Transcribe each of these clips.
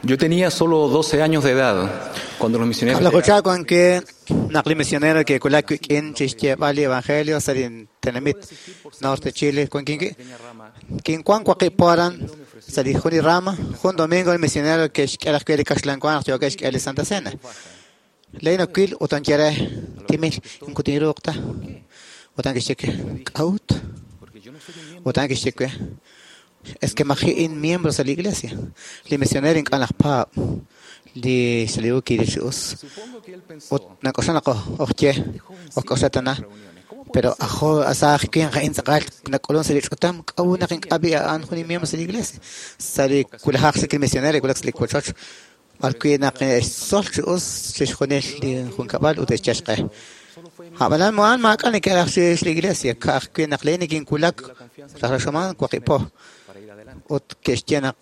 Yo tenía solo 12 años de edad cuando los misioneros Kab'laju chihab wan we naq li misionero ke'wulak wik'in chixyeeb'al li evangelio sa' li tenamit Norte Chile wankin wi'. Kinwan waqib' po aran sa' li jun li rama, jun domingo li misionero ke'xk'e raj we li kaxlan wa naq yookeb' xk'e li Santa Cena. Laa'in nawil ut anye re timil moko tinruuq ta. Ut a'an kixye we, k'a'ut? Ut a'an kixye we, es que maji' in miembro sa' li iglesia. Li misionero ink'a' najpaab' li xsaliu kiril chi us. Ut nak'oxla naq ojye, ojk'oxla tana, pero ajo saaj winq a'in tz'aqal nak'ulun sa' li ch'utam, k'a'ut naq ink'a' b'i' a'an jun miembro sa' li iglesia. Sa' li wulajaq chik li misionero kiwulak sa' li wochoch, b'ar wi' naq xtzol chi us chixjunil li junkab'al ut xyal xq'e. A'b'anan a'an maak'a' neke'raj chirix li iglesia, ka'ajwi' naq laa'in nikinwulak rajlal xamaan waqib' po. Ut ke'xye naq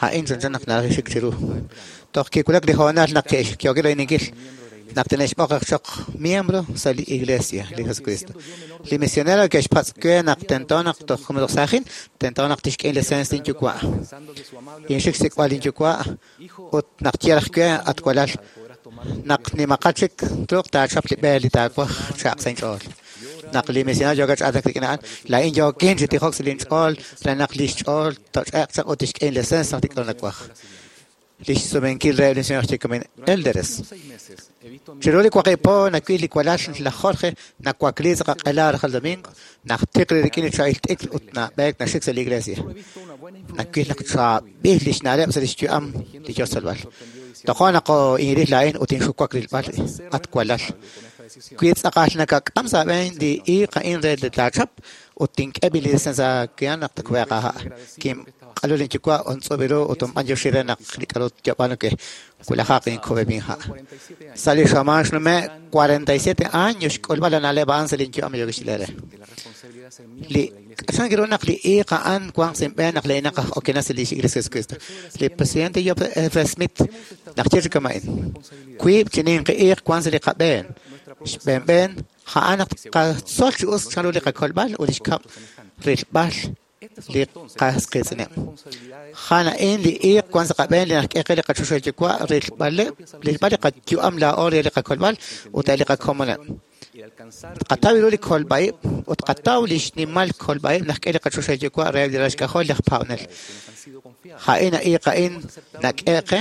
a'in chanchan naq naraj xik chiru. Toj kiwulak li hoonal naq ke'yookeb' royb'eninkil naq tine'xb'oq raj choq miembro sa' li iglesia li Jesucristo. Li misionero ke'xpatz' we naq tento naq toj saajin, tento naq tixk'e inlicencia linyuwa'. Kinxik xsik'b'al linyuwa' ut naq ye raj we, at walal, naq nimaqat chik truuq taachap li b'e li taawaj cha'aq sa' inch'ool. Naq li misionero yookeb' chi aatinak rik'in a'an, laa'in yookin chi tijok sa' linch'ool re naq lix ch'ool toch'e'q chaq ut tixk'e inlicencia naq li k'a'ru nawaj. Lix sumenkil reheb' li misionero xye kamin élderes. Chiru li waqib' po nawil li walal laj Jorge nawakli sa' qaq'ela rajlal domingo, najtiq li rik'in li chaab'il t'ikr ut nab'eek naxik sa' li iglesia. Nawil naq chaab'il lix na'leb' sa' lix yu'am li yoo xtzolb'al. Tojo' naq inril laa'in ut inxuwak rilb'al at walal. Wi tz'aqal nakak'am sa' aab'een li iiq a'in re li taachap ut tink'e li licencia aawe naq takub'eeq aaha'. Kinq'alu linyuwa' untz'ub' ru ut unb'anyoxi re naq li k'a'ru yob'aanu we wulajaq inkub'e inha'. Sa' li xamaan xnume' 47 años xk'ulb'al la na'leb' a'an sa' linyu'am yookeb' re. Li k'achan kiru naq li iiq a'an wanq sa' inb'een naq laa'inaq aj okenaq sa' lix Iglesia Jesucristo. Li presidente F. Smith naq ye chi kama'in. Wiib' chi ninqi iiq wan sa' li qab'een. Xb'een b'een, a'an naq tqatzol chi us chanru li qakolb'al ut li xkab' rilb'al li qas qiitz'ineb'. A'an a'in li iiq wan sa' qab'een li naxk'e qe li qachoxahil yuwa' rilb'aleb' rilb'al li qayu'am laa'o re li qakolb'al ut li qakomoneb'. Tqataw ru li kolb'a'ib' ut tqataw li xnimal kolb'a'ib' naxk'e li qachoxahil yuwa' reheb' li ralal xk'ajol laj paab'anel. A'in iiq a'in nak'e qe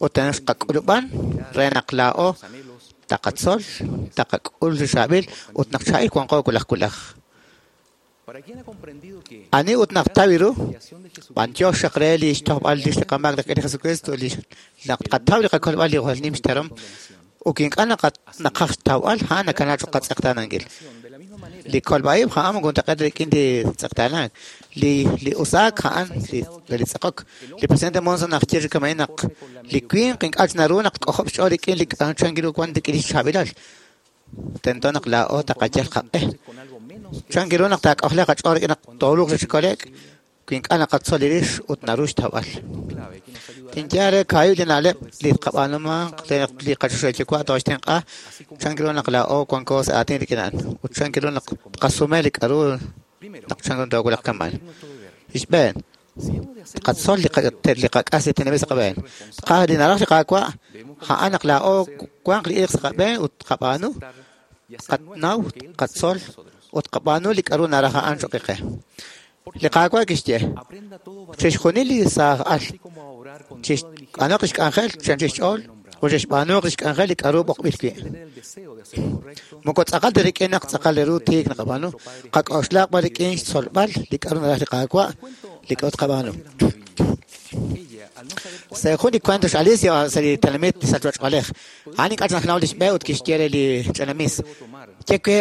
ut xqak'ulub'an re naq laa'o taqatzol, taqak'ul li chaab'il ut naq chaab'il wanqo wulaj wulaj. Ani ut naq taw ru, b'antiox xaq re li xtojb'al rix li qamaak rik'in li Jesucristo li naq tqataw li qakolb'al li jwal nim xteram ut ink'a' naqaj xtawb'al a'an nakana cho'q qatz'eqtaanankil. Li kolb'a'ib' a'an moko juntaq'eet ta rik'in li tz'eqtaanank. Li usaak a'an li tz'eqok. Li presidente Monson naxye chi kama'in naq li winq ink'a' naru naq tk'ojob' xch'ool rik'in li chan ru wan rik'in li xchaab'ilal. Tento naq laa'o taqayal qaq'e. Chan ru naq taak'ojle qach'ool rik'in naq tooruuq chi kole'k wi ink'a' naqatzol li rix ut naru xtawb'al. Tinye re kaahib' li na'leb' li tqab'aanumanq re naq li qachoxahil yuwa' tooxtenq'a chan ru naq laa'o wanko sa' aatin rik'in a'an ut chan ru naq tqasume li k'a'ru naq chan ru toowulaq kama'an. Xb'een, tqatzol li qak'as li tenamit sa' qab'een. Li naraj li Qaawa' a'an naq laa'o wanq li iiq sa' qab'een ut tqab'aanu, tqanaw, tqatzol ut tqab'aanu li k'a'ru naraj a'an cho'q qe. Li Qaawa' kixye, chixjunil li saaj al chixb'aanuq lix k'anjel chi anchal xch'ool ut chixb'aanuq lix k'anjel li k'a'ru b'oqb'il wi'. Moko tz'aqal ta rik'in naq tz'aqal ru tiik naqab'aanu, qak'oxlaq b'an rik'in xtzolb'al li k'a'ru naraj li Qaawa' li k'a'ru tqab'aanu. Sa' jun li cuento x'Alicia sa' li tenamit sa' ch'och'alej, a'an ink'a' naxnaw lix b'e ut kixye re li ch'ina mis, ye we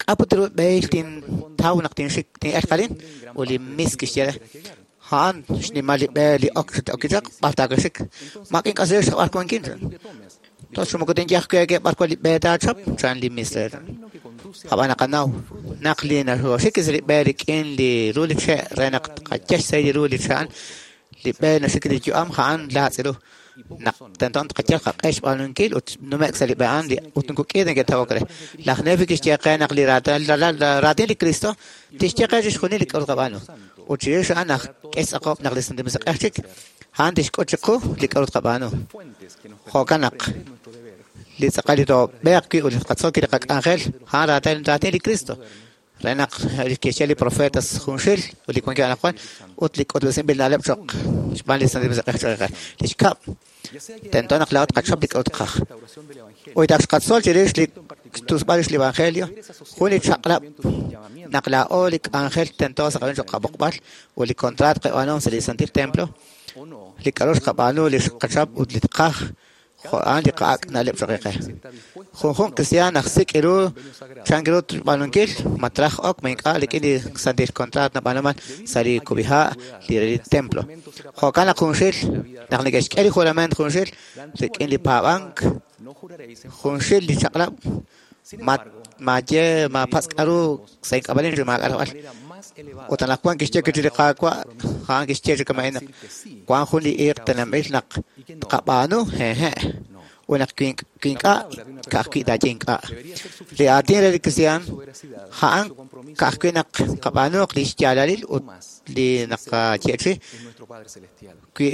k'a' put ru b'ehil tintaw naq tinxik tin'elq arin? Ut li mis kixye re, a'an xnimal li b'e li ok okichaq b'ar taawaxik. Maak'a' ink'asal xb'ar wankin. Tos moko tinye ajwi' we b'ar wan li b'e taachap, chan li mis re. Ab'an naqanaw naq li naxoxik sa' li b'e rik'in li ru li che' re naq tqayal xsahil li ru li che' a'an, li b'e naxik li yu'am a'an laatz' ru. Naq tento tqayal qaq'e xb'aanunkil ut nume'k sa' li b'e a'an ut moko k'i neke'tawok re. Laj Nefi kixye qe naq li raatin li Cristo tixye qe chixjunil li k'a'ru tqab'aanu. Ut chirix a'an naq k'e xtz'aqob' naq li Santil Musiq'ej chik, a'an tixk'ut chiqu li k'a'ru tqab'aanu. Jo'kan naq li tz'aqal li toob'eeq wi' ut li tqatzol wi' li qak'anjel, a'an raatin li Cristo. Re naq li ke'xye li profetas junxil ut li wankeb' anaqwan ut li k'utb'esinb'il na'leb' cho'q xb'aan li Santil Musiq'ej cho'q qe. Li xkab', tento naq laa'o tqachap li k'a'ru tqaj. Ut ak xqatzol chirix li xtusb'al rix li Evangelio, jun li chaq'rab' naq laa'o li k'anjel tento sa' qab'een cho'q qab'oqb'al ut li kontraat qab'aanuhom sa' li Santil Templo, li k'a'ru xqab'aanu, li xqachap ut li tqaj, jo' a'an li qa'ak' na'leb' cho'q qe. Junjunq kristiaan aj sik' ru chan ru xb'aanunkil, ma traj ok ma ink'a' rik'in li santil kontraat nab'aanuman sa' li kub'iha' li re li templo. Jo'kan naq junxil, naq neke'xk'e li jurament junxil rik'in li paab'ank, junxil li chaq'rab', ma maaye maapatz' k'a'ru sa' ink'ab'a'in chi maak'a' rajb'al. Ut anaqwan kixye wi' chik li Qaawa', a'an kixye chi kama'in naq wank jun li iiq tenamil naq tqab'aanu, hehe', ut naq wi ink'a', ka'ajwi' taaye ink'a'. Li aatin re li kristiaan, a'an ka'ajwi' naq qab'aanuuq li xyaalalil ut li naqayeechi'i wi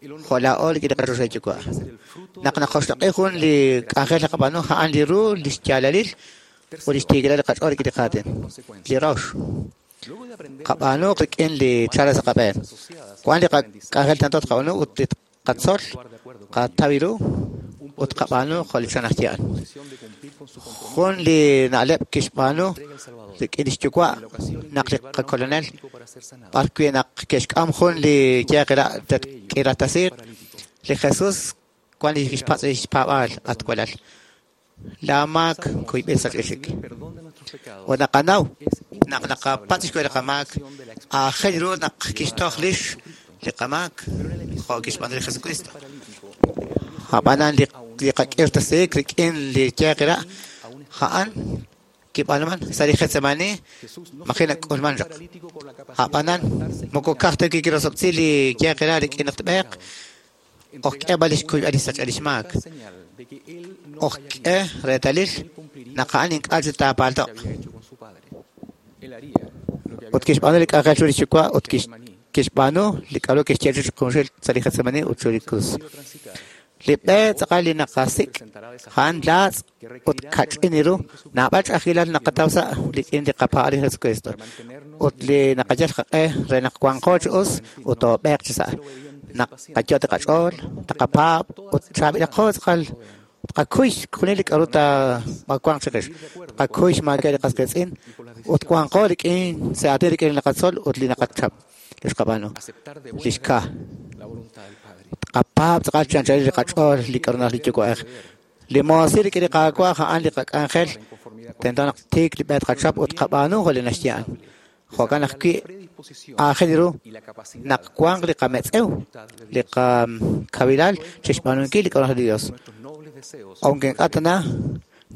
jo' laa'o rik'in li qaChoxahil Yuwa'. Naq naqoxloq'i jun li k'anjel naqab'aanu, a'an li ru, li xyaalalil ut li xtiikilal li qach'ool rik'in li qaatin. Li rox, qab'aanuuq rik'in li chalel sa' qab'een. Wank li qak'anjel tento tqab'aanu ut li tqatzol, qataw ru ut qab'aanu jo' li chan aj yaal. Jun li na'leb' kixb'aanu rik'in lix yuwa' naq li qakolonel b'ar wi' naq ke'xk'am jun li yeq k'iratasiiq, li Jesus wan li kixpatz' li xpaab'aal, at walal. Laa maak kuyb'il sachb'il chik. Ut naqanaw naq naqapatz' xkuyb'al li qamaak, aajel ru naq kixtoj rix li qamaak jo' kixb'aanu li Jesucristo. Ab'anan li qak'irtasiik rik'in li yeq ra', a'an kib'aanuman sa' li Getsemani maji' nak'ulman chaq. Ab'anan moko ka'aj ta wi' kirosob'tesi li yeq ra' rik'in naq tb'eeq, oj k'e b'an li xkuyb'al li xsachb'al li xmaak. Oj k'e reetalil naq a'an ink'a' chik taapalto'q. Ut kixb'aanu li k'anjel chiru li xyuwa' ut kixb'aanu li k'a'ru kixye chik junxil sa' li Getsemani ut chiru li krus. Li b'e tz'aqal li naqasik', a'an laatz' ut kach'in ru, naab'al ch'a'ajkilal naqataw sa' rik'in li qapaab'aal li Jesucristo. Ut li naqayal qaq'e re naq wanqo chi us ut toob'eeq chi sa'. Naq qayot' li qach'ool, taqapaab' ut chaab'ilaqo tz'aqal tqakuy junil li k'a'ru taawanq chiqix. Tqakuy xmaakeb' li qas qiitz'in ut wanqo rik'in sa' aatin rik'in li naqatzol ut li naqachap li xqab'aanu. Li xka. Tqapaab' tz'aqal chi anchalil li qach'ool li k'a'ru naraj li Yuwa'ej. Li moosil rik'in li Qaawa' a'an li qak'anjel tento naq tiik li b'e tqachap ut tqab'aanu jo' li naxye a'an. Jo'kan ajwi' aajel ru naq wanq li qametz'ew, li qakawilal chi xb'aanunkil li k'a'ru naraj li Dios. Aunque ink'a' tana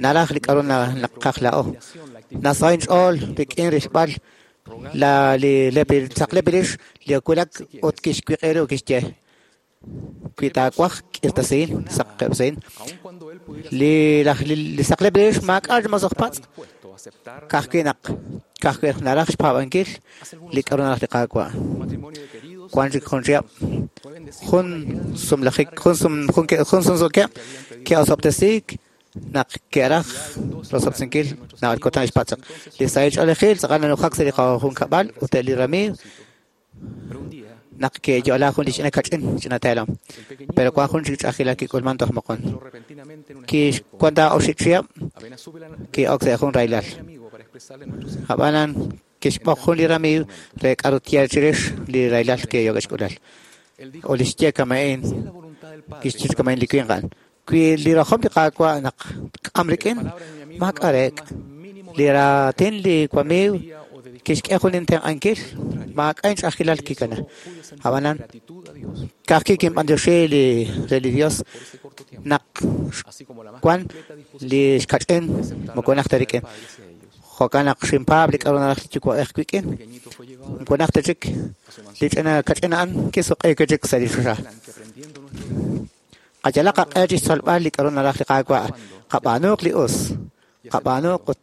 naraj li k'a'ru naqaj laa'o. Nasaho' inch'ool rik'in rilb'al la li tzaqleb' rix li wulak ut kixwiq'i ru kixye wi taawaj k'irtasihin, saqeb'sihin. Li laj li saqleb' rix maak'a' mosoj patz', ka'ajwi' naq ka'ajwi' naraj xpaab'ankil li k'a'ru naraj li Qaawa'. Wank chik jun chihab', jun sumlajik, jun sum jun sumsuukeb' ke'osob'tesiik naq ke'raj rosob'tesinkil naab'al kutan xpatz' chaq. Li sahil ch'oolejil tz'aqal nanujak sa' li qajunkab'al ut eb' li ramiiw naq ke'yo'la jun li ch'ina kach'in ch'ina teelom. Pero wank jun chik ch'a'ajkilal kik'ulman toj moqon. Kixwan ta oxib' chihab' ki'ok sa' jun rahilal. Ab'anan kixb'oq jun li ramiiw re k'a'ru tye chirix li rahilal ke'yo'k xk'ulal. Ut li xye kama'in, kixye kama'in li winq a'an. Wi li rajom li Qaawa' naq k'am rik'in, maak'a' reek'. Li raatin li wamiiw kixk'e jun intenq'ankil, maak'a' inch'a'ajkilal kikana. Ab'anan, ka'ajwi' kinb'antioxi li re li Dios naq wan li xkach'in moko najt ta rik'in. Jo'kan naq xinpaab' li k'a'ru naraj li Yuwa'ej wik'in. Moko najt ta chik li ch'ina kach'in a'an kisuq'iik wi' chik sa' li choxa. Qayalaq qaq'e chi xtzolb'al li k'a'ru naraj li Qaawa', qab'aanuuq li us. Qab'aanu ut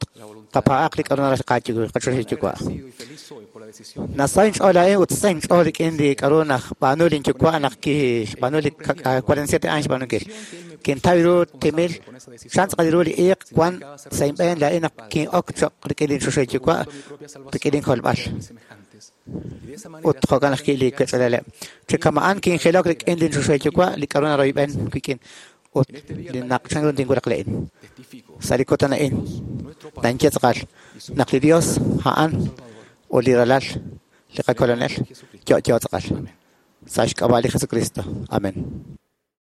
qapaa'aq li k'a'ru naraj qachoxahil Yuwa'. Nasa inch'ool laa'in ut sa inch'ool rik'in li k'a'ru najb'aanu lin yuwa' naq kixb'aanu li 47 años xb'aanunkil. Kintaw ru timil chan tz'aqal ru li iiq wan sa' inb'een laa'in naq kin'ok cho'q rik'in lin choxahil Yuwa' rik'in inkolb'al. Ut jo'kan ajwi' li wech'alaleb'. Chi kama'an kinjilok rik'in lin choxahil Yuwa' li k'a'ru naroyb'en wik'in ut li naq chan ru tinwulaq laa'in. Sa' li kutan a'in nanye tz'aqal naq li Dios a'an ut li Ralal li qaKolonel yo'yo tz'aqal. Sa' xk'ab'a' li Jesucristo. Amen.